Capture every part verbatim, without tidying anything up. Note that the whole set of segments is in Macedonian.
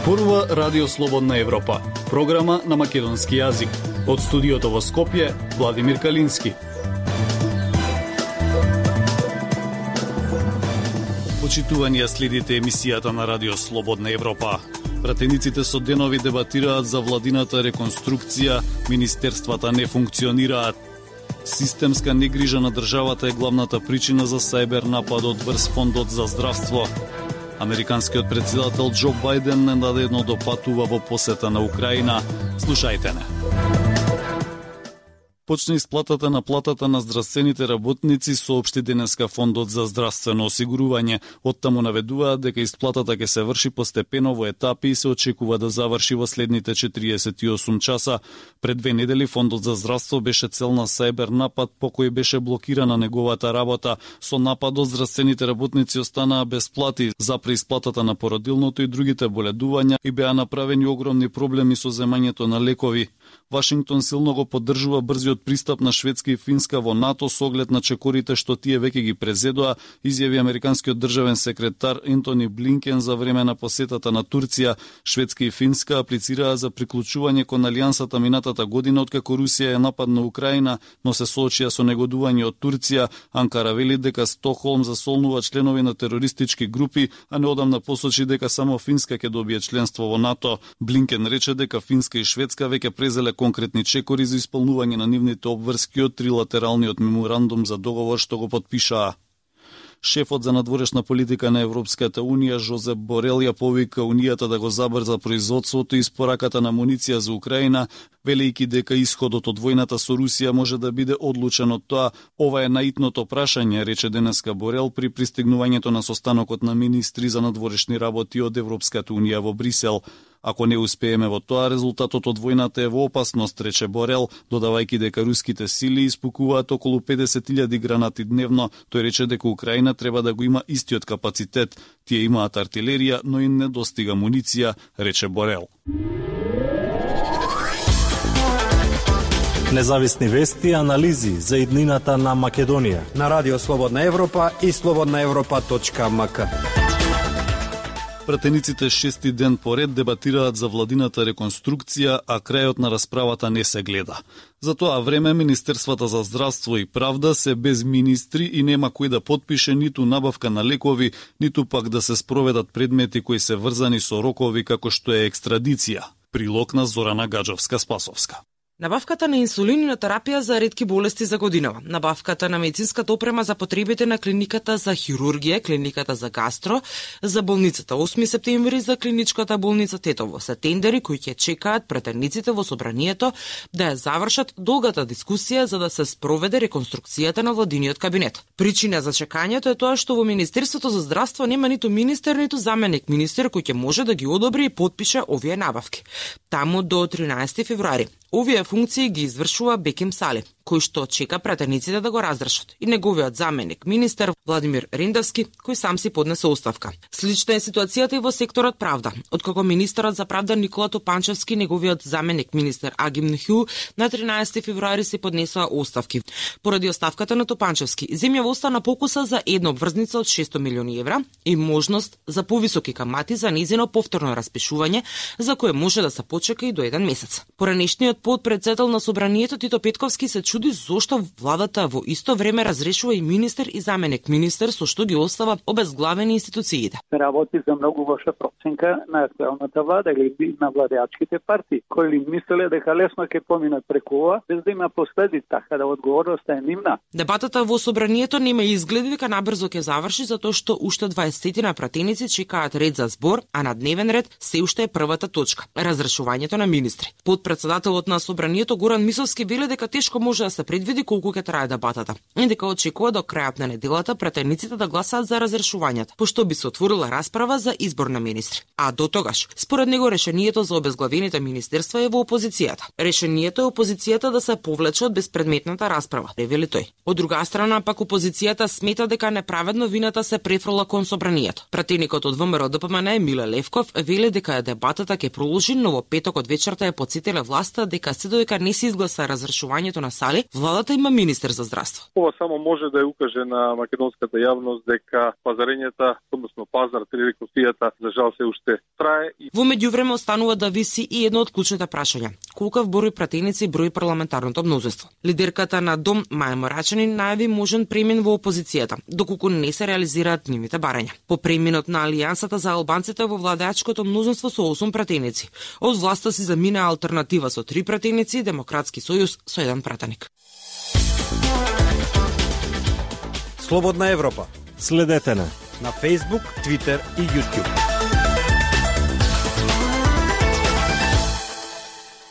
Зборува Радио Слободна Европа, програма на македонски јазик. Од студиото во Скопје, Владимир Калински. Почитување, следите емисијата на Радио Слободна Европа. Пратениците со денови дебатираат за владината реконструкција, министерствата не функционираат. Системска негрижа на државата е главната причина за сајбер нападот врз фондот за здравство. Американскиот претседател Џо Бајден ненадедно допатува во посета на Украина. Слушајте не. Почна исплатата на платата на здравствените работници, соопшти денеска Фондот за здравствено осигурување. Оттаму наведуваат дека исплатата ќе се врши постепено во етапи и се очекува да заврши во следните четириесет и осум часа. Пред две недели Фондот за здравство беше цел на сајбер напад по кој беше блокирана неговата работа. Со нападот здравствените работници останаа без плати, запре исплатата на породилното и другите боледувања и беа направени огромни проблеми со земањето на лекови. Вашингтон силно го поддржува брзиот пристап на Шведска и Финска во НАТО со оглед на чекорите што тие веќе ги презедоа, изјави американскиот државен секретар Ентони Блинкен за време на посетата на Турција. Шведска и Финска аплицираа за приклучување кон алијансата минатата година откако Русија е нападна Украина, но се соочија со негодување од Турција. Анкара вели дека Стокхолм засолнува членови на терористички групи, а неодамна посочи дека само Финска ќе добие членство во НАТО. Блинкен рече дека Финска и Шведска веќе презеле конкретни чекори за исполнување на нивните обврски од трилатералниот меморандум за договор што го подпишаа. Шефот за надворешна политика на Европската Унија Жозеп Борел ја повика Унијата да го забрза производството и испораката на муниција за Украина, велејќи дека исходот од војната со Русија може да биде одлучен од тоа. Ова е наитното прашање, рече денеска Борел при пристигнувањето на состанокот на министри за надворешни работи од Европската Унија во Брисел. Ако не успееме во тоа, резултатот од војната е во опасност, рече Борел, додавајќи дека руските сили испукуваат околу педесет илјади гранати дневно. Тој рече дека Украина треба да го има истиот капацитет. Тие имаат артилерија, но им недостига муниција, рече Борел. Независни вести и анализи за иднината на Македонија на Радио Слободна Европа и слободна европа точка ем ка. Пратениците шести ден поред дебатираат за владината реконструкција, а крајот на расправата не се гледа. За тоа време Министерствата за здравство и правда се без министри и нема кој да подпише ниту набавка на лекови, ниту пак да се спроведат предмети кои се врзани со рокови како што е екстрадиција. Прилог на Зорана Гаджовска-Спасовска. Набавката на инсулин и на терапија за ретки болести за годинава. Набавката на медицинската опрема за потребите на клиниката за хирургија, клиниката за гастро, за болницата осми септември, за клиничката болница Тетово. Се тендери кои ќе чекаат претениците во собранието да ја завршат долгата дискусија за да се спроведе реконструкцијата на владиниот кабинет. Причина за чекањето е тоа што во Министерството за здравство нема ниту министер, ниту заменик министер кој ќе може да ги одобри и подпише овие набавки. Таму до тринаесети февруари. Овие функции ги извршува Беким Сали, кој што чека пратениците да го разрешат, и неговиот заменик министер Владимир Риндовски, кој сам си поднесе оставка. Слична е ситуацијата и во секторот правда. Откако министерот за правда Никола Топанчевски, неговиот заменик министер Агим Нхю на тринаесети февруари се поднесоа оставки. Поради оставката на Топанчевски, земјава остана покуса за една обврзница од шесто милиони евра и можност за повисоки камати за незино повторно распишување, за кое може да се почека и до еден месец. Поранешниот подпредседател на собранието Тито Петковски се чуди зошто владата во исто време разрешува и министер и заменик министер, со што ги остава обезглавени институциите. Работи за многу лоша проценка на актуелната влада или на владеачките партии, кои мислеле дека лесно ќе поминат преку ова, без да има последици, така да одговорноста е нивна. Дебатата во собранието нема изгледи дека набрзо ќе заврши, затоа што уште дваесет на пратеници чекаат ред за збор, а на дневен ред се уште е првата точка – разрешувањето на министри. Подпредседателот на собранието Горан Мисовски вели дека тешко може да се предвиди колку ќе трае дебатата и дека очекува до крајот на неделата пратениците да гласаат за разрешувањето, пошто би се отворила расправа за избор на министри. А до тогаш, според него решението за обезглавените министерства е во опозицијата. Решението е опозицијата да се повлече од безпредметната расправа, ревели тој. Од друга страна, пак опозицијата смета дека неправедно вината се префрла кон собранието. Пратеникот од ВМРО Д П М Н Миле Левков вели дека дебатата ќе продолжи, но во петок од вечерта е потсетила власта дека се додека не се изгласа разрешувањето на дали владата има министер за здравство. Ова само може да ја укаже на македонската јавност дека пазарењата, односно пазар, телевизијата, за жал се уште трае. И... Во меѓувреме останува да виси и едно од клучните прашања. Колкав број пратеници брои парламентарното мнозинство? Лидерката на Дом Маја Морачанин најави можен премин во опозицијата, доколку не се реализираат нивните барања. По преминот на Алијансата за албанците во владеачкото мнозинство со осум пратеници. Од власта си замина алтернатива со три пратеници и Демократски сојуз со еден пратеник. Слободна Европа. Следете на на Facebook, Twitter и YouTube.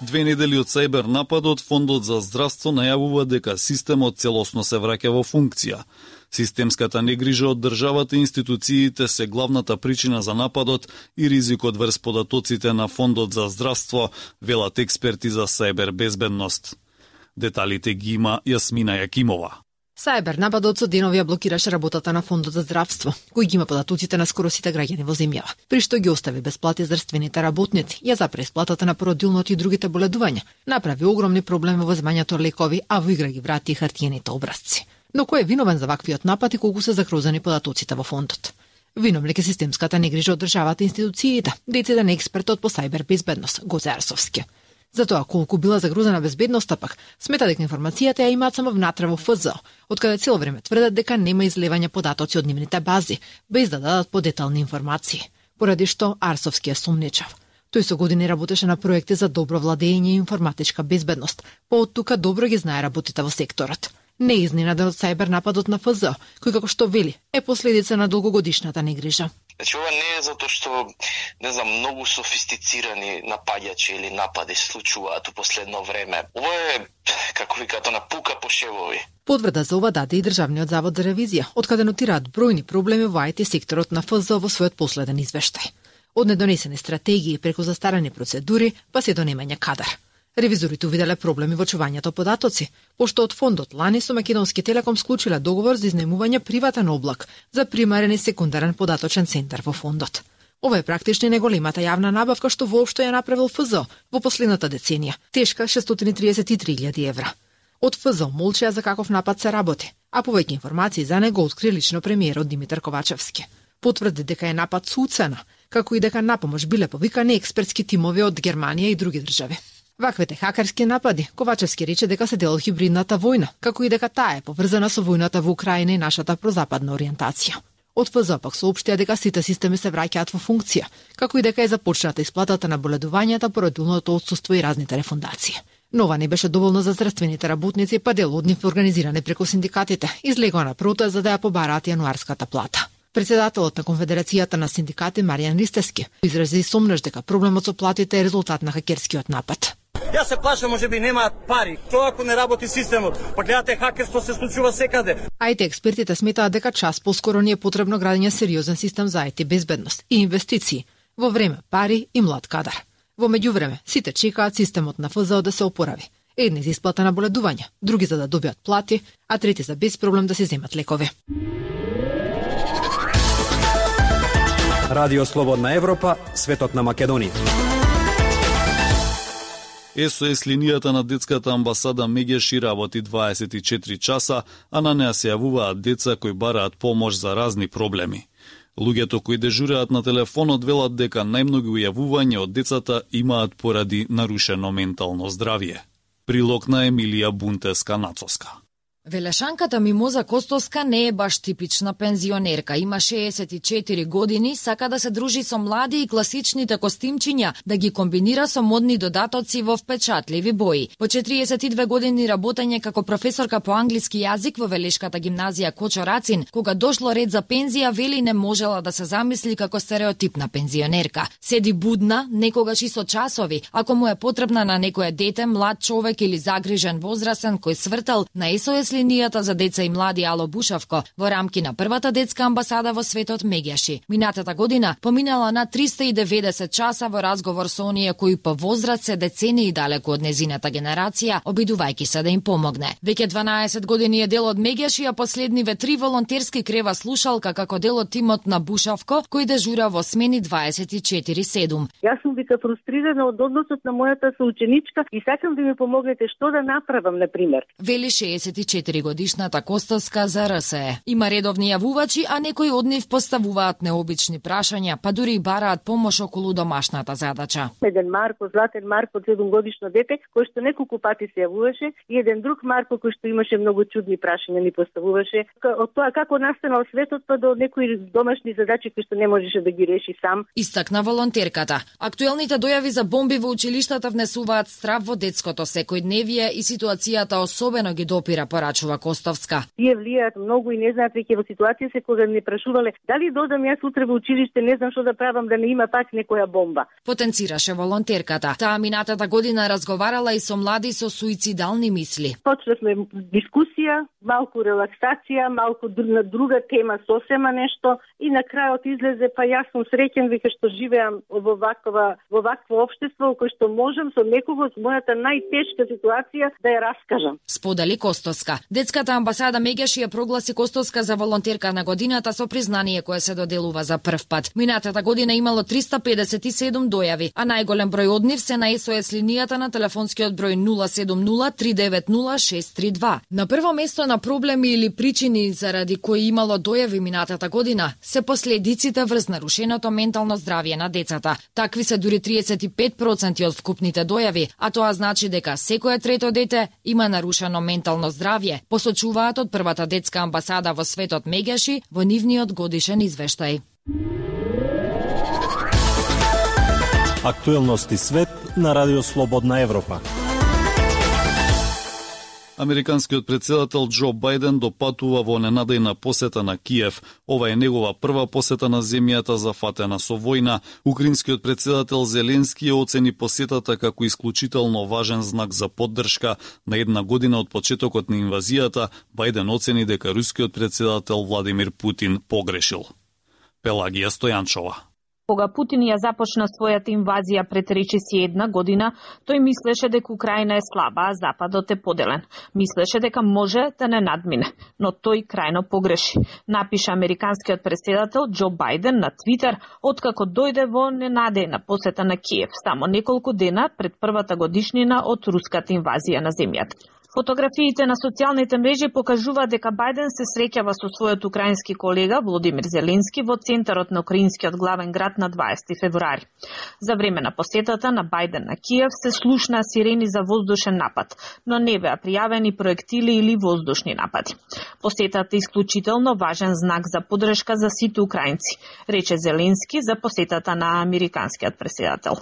Две недели од сајбер нападот, Фондот за здравство најавува дека системот целосно се враќа во функција. Системската негрижа од државата и институциите се главната причина за нападот и ризикот врз податоците на Фондот за здравство, велат експерти за сајбер безбедност. Деталите ги има Јасмина Јакимова. Сајбер нападот со денови ја блокираше работата на Фондот за здравство, кој ги има податоците на скоро сите граѓани во земјава, при што ги остави без плати здравствените работници, ја запре исплатата на породилното и другите боледувања, направи огромни проблеми во земањето лекови, а во игра ги врати и хартиените образци. Но кој е виновен за ваквиот напад и колку се загрозени податоците во фондот? Виновник е системската негрижа од државата и институциите, деците на експертот по сајбер безбедност, Гоце Арсовски. Затоа колку била загрозена безбедноста пак, смета дека информацијата ја имаат само внатре во Ф З О, откаде цело време тврдат дека нема излевање податоци од нивните бази, без да дадат подетални информации. Поради што Арсовски е сумничав. Тој со години работеше на проекти за добро владење и информатичка безбедност, па од тука добро ги знае работите во секторот. Не е изненаден од сајбер нападот на Ф З О, кој како што вели е последица на долгогодишната негрижа. Значи, ова не е затоа што, не знам, многу софистицирани напаѓачи или напади се случуваат у последно време. Ова е, како викаат, на пука по шевови. Потврда за ова даде и Државниот завод за ревизија, откаде нотираат бројни проблеми во ай ти секторот на Ф З О во својот последен извештај. Од недонесени стратегии преку застарани процедури, па се до немање кадар. Ревизорите увиделе проблеми во чувањето податоци, пошто од фондот лани со Македонски Телеком склучиле договор за изнемување приватен облак за примарен и секундарен податочен центар во фондот. Ова е практично неголемата јавна набавка што воопшто ја направил Ф З О во последната деценија, тешка шестстотини триесет и три илјади евра. Од Ф З О молчеа за каков напад се работи, а повеќе информации за него откри лично премиерот Димитар Ковачевски. Потврди дека е напад со уцена, како и дека напомош биле повикани експертски тимови од Германија и други држави. Ваквите хакерски напади, Ковачевски рече дека се дел од хибридната војна, како и дека таа е поврзана со војната во Украина и нашата прозападна ориентација. Од Ф З О пак соопштија дека сите системи се враќаат во функција, како и дека е започната исплатата на боледувањата, породилното отсуство и разните рефундации. Но ова не беше доволно за здравствените работници, па дел од нив организирани преку синдикатите, излегоа на протест за да ја побараат јануарската плата. Председателот на Конфедерацијата на синдикати Маријан Ристевски изрази сомнеш дека проблемот со платите е резултат на хакерскиот напад. Јас се плашам, може би немаат пари. Тоа ако не работи системот, па гледате хакерство се случува секаде. ай ти експертите сметаат дека час поскоро ни е потребно градење сериозен систем за ай ти безбедност и инвестиции во време пари и млад кадар. Во меѓувреме, сите чекаат системот на Ф З О да се опорави. Едни за исплата на боледувања, други за да добијат плати, а трети за без проблем да се земат лекови. Радио Слободна Европа, светот на Македонија. Ес О Ес линијата на детската амбасада Мегеши работи дваесет и четири часа, а на неа се јавуваат деца кои бараат помош за разни проблеми. Луѓето кои дежураат на телефонот велат дека најмногу јавувања од децата имаат поради нарушено ментално здравје. Прилог на Емилија Бунтеска-Нацоска. Велешанката Мимоза Костовска не е баш типична пензионерка. Има шеесет и четири години, сака да се дружи со млади и класичните костимчиња, да ги комбинира со модни додатоци во впечатливи бои. По четириесет и две години работење како професорка по англиски јазик во Велешката гимназија Кочо Рацин, кога дошло ред за пензија, вели не можела да се замисли како стереотипна пензионерка. Седи будна, некогаш и со часови, ако му е потребна на некое дете, млад човек или загрижен возрасен кој свртал, на Ес О Ес линијата за деца и млади Ало Бушавко во рамки на првата детска амбасада во светот Мегјаши. Минатата година поминала на триста и деветдесет часа во разговор со оние кои по возраст се децении далеку од незината генерација, обидувајќи се да им помогне. Веќе дванаесет години е дел од Мегјаши, а последниве три волонтерски крева слушалка како дел од тимот на Бушавко, кој дежура во смени дваесет и четири седум. Јас сум вика фрустрирана од односот на мојата соученичка и сакам да ми помогнете што да направам, на пример. Вели шеесет и четири годишната Костовска за РСЕ. Има редовни јавувачи, а некои од нив поставуваат необични прашања, па дури и бараат помош околу домашната задача. Еден Марко, Златен Марко, седумгодишно дете, кој што неколку пати се јавуваше, и еден друг Марко кој што имаше многу чудни прашања ни поставуваше. Од тоа како настанал светот, па до некои домашни задачи кои што не можеше да ги реши сам. Истакна волонтерката. Актуелните дојави за бомби во училиштата внесуваат страв во детското секојдневие и ситуацијата особено ги допира, порачува Костовска. Тие влијаат многу и не знаат веќе во ситуација се кога не прашувале дали додам јас утре во училиште, не знам што да правам да не има пак некоја бомба. Потенцираше волонтерката. Таа минатата година разговарала и со млади со суицидални мисли. Почнавме дискусија, малку релаксација, малку на друга тема, сосема нешто и на крајот излезе па јас сум среќен вика што живеам во ваква во вакво општество кој што можам со некого од мојата најтешка ситуација да ја раскажам. Сподели Костовска. Детската амбасада Мегјаши ја прогласи Костовска за волонтерка на годината со признание кое се доделува за прв пат. Минатата година имало триста педесет и седум дојави, а најголем број од нив се на ес о ес линијата на телефонскиот број нула седум нула три девет нула шест три два. На прво место на проблеми или причини заради кои имало дојави минатата година се последиците врз нарушеното ментално здравје на децата. Такви се дури триесет и пет проценти од вкупните дојави, а тоа значи дека секое трето дете има нарушено ментално здравје, посочуваат од првата детска амбасада во светот Мегјаши во нивниот годишен извештај. Актуелности свет на Радио Слободна Европа. Американскиот претседател Џо Бајден допатува во ненадејна посета на Киев. Ова е негова прва посета на земјата зафатена со војна. Украинскиот претседател Зеленски ја оцени посетата како исклучително важен знак за поддршка. На една година од почетокот на инвазијата, Бајден оцени дека рускиот претседател Владимир Путин погрешил. Пелагија Стојанчова. Кога Путин ја започна својата инвазија пред речиси една година, тој мислеше дека Украина е слаба, а Западот е поделен. Мислеше дека може да не надмине, но тој крајно погреши, напиша американскиот претседател Џо Бајден на Твитер, откако дојде во ненадејна посета на Киев, само неколку дена пред првата годишнина од руската инвазија на земјата. Фотографиите на социјалните мрежи покажуваат дека Бајден се среќава со својот украински колега Володимир Зеленски во центарот на украинскиот главен град на дваесети февруари. За време на посетата на Бајден на Киев се слушнаа сирени за воздушен напад, но не беа пријавени проектили или воздушни напади. Посетата е исклучително важен знак за поддршка за сите украинци, рече Зеленски за посетата на американскиот претседател.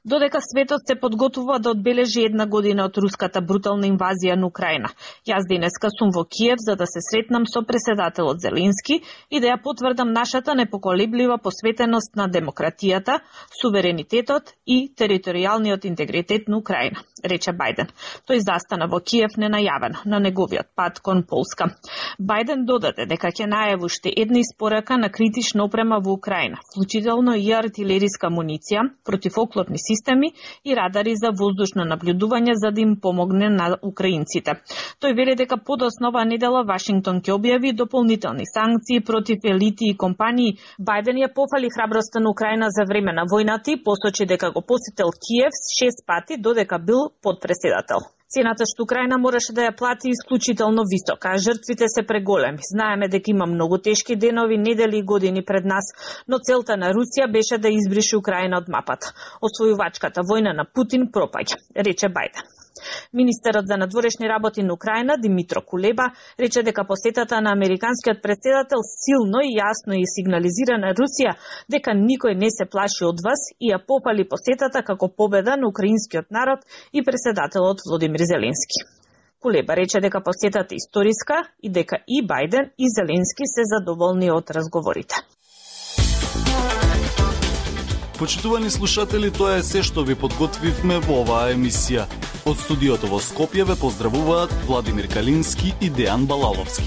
Додека светот се подготвува да одбележи една година од руската брутална инвазија на Украина, јас денеска сум во Киев за да се сретнам со претседателот Зеленски и да ја потврдам нашата непоколеблива посветеност на демократијата, суверенитетот и територијалниот интегритет на Украина, рече Бајден. Тој застана во Киев ненајавено на неговиот пат кон Полска. Бајден додаде дека ќе најави уште една испорака на критична опрема во Украина, вклучително и артилериска амуниција, противоклопни системи и радари за воздушно наблюдување за да им помогне на украинците. Тој вели дека подоцна оваа недела Вашингтон ќе објави дополнителни санкции против елити и компании. Бајден ја пофали храброста на Украина за време на војната и посочи дека го посетил Киев шест пати додека бил подпредседател. Цената што Украина мораше да ја плати исклучително висока, а жртвите се преголеми. Знаеме дека има многу тешки денови, недели и години пред нас, но целта на Русија беше да избрише Украина од мапата. Освојувачката војна на Путин пропаѓа, рече Бајден. Министерот за надворешни работи на Украина Димитро Кулеба рече дека посетата на американскиот претседател силно и јасно и сигнализира на Русија дека никој не се плаши од вас и ја пофали посетата како победа на украинскиот народ и претседателот Володимир Зеленски. Кулеба рече дека посетата е историска и дека и Бајден и Зеленски се задоволни од разговорите. Почитувани слушатели, тоа е се што ви подготвивме во оваа емисија. Од студиото во Скопје ве поздравуваат Владимир Калински и Дејан Балаловски.